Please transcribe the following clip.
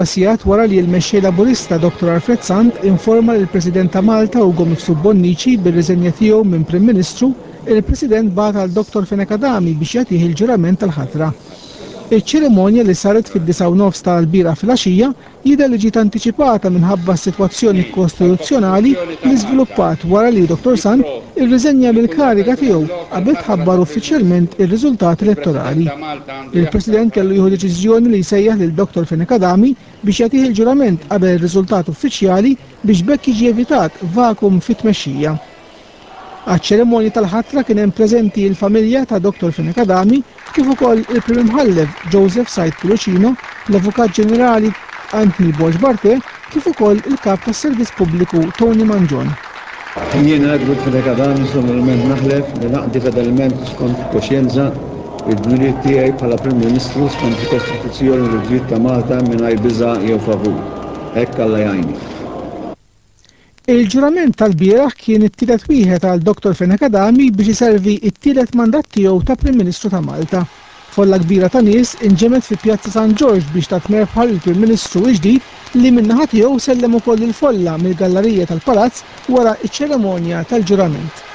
Sigħat wara li l-Mexxej Laburista Dottor Alfred Sant informa lill-President ta' Malta Ugo Mifsud Bonnici bir-riżenja tiegħu minn Prim Ministru, il-President bagħat għal Dottor Fenech Adami biex jagħtih il-ġurament tal-ħatra. Iċ-ċerimonja li saret fid-disgħa u nofs ta' lbieraħ filgħaxija jidher li ġiet antiċipata minħabba s-sitwazzjoni kostituzzjonali li żviluppat wara li Dottor Sant irriżenja mill-kariga tiegħu qabel tħabbar uffiċjalment ir-riżultat elettorali. Il-President kellu jieħu deċiżjoni li jsejjaħ lil Dottor Fenech Adami biex jagħtih il-ġurament qabel ir-riżultat uffiċjali biex b'hekk jiġi evitat vakum fit-tmexxija. Għaċ-ċerimonja tal-ħatra kien hemm preżenti l-familja ta' Dottor Fenech Adami kif ukoll il-Prim Imħallef Joseph Said Pullicino, l-Avukat Ġenerali Anthony Borg Barthe kif ukoll il-Kap tas-Servizz Pubbliku Tony Mangion. Jiena Edward Fenech Adami solennement naħlef li naqdi fedelment u skont il-koxjenza id-dmirijiet tiegħi bħala Prim Ministru skont il-Kostituzzjoni u l-Liġijiet ta' Malta mingħajr biża' jew favur. Hekk Alla jgħinni. Il-ġurament tal-bieraħ kien it-tielet wieħed għal Dottor Fenech Adami biex iservi t-tielet mandat tiegħu ta' Prim Ministru ta' Malta. Folla kbira ta' nies inġemgħet fi Pjazza San Ġorġ biex tat merħba lill-Prim Ministru l-ġdid li min-naħa tiegħu sellem ukoll lill-folla mill-gallarija tal-Palazz wara ċ-ċerimonja tal-ġurament.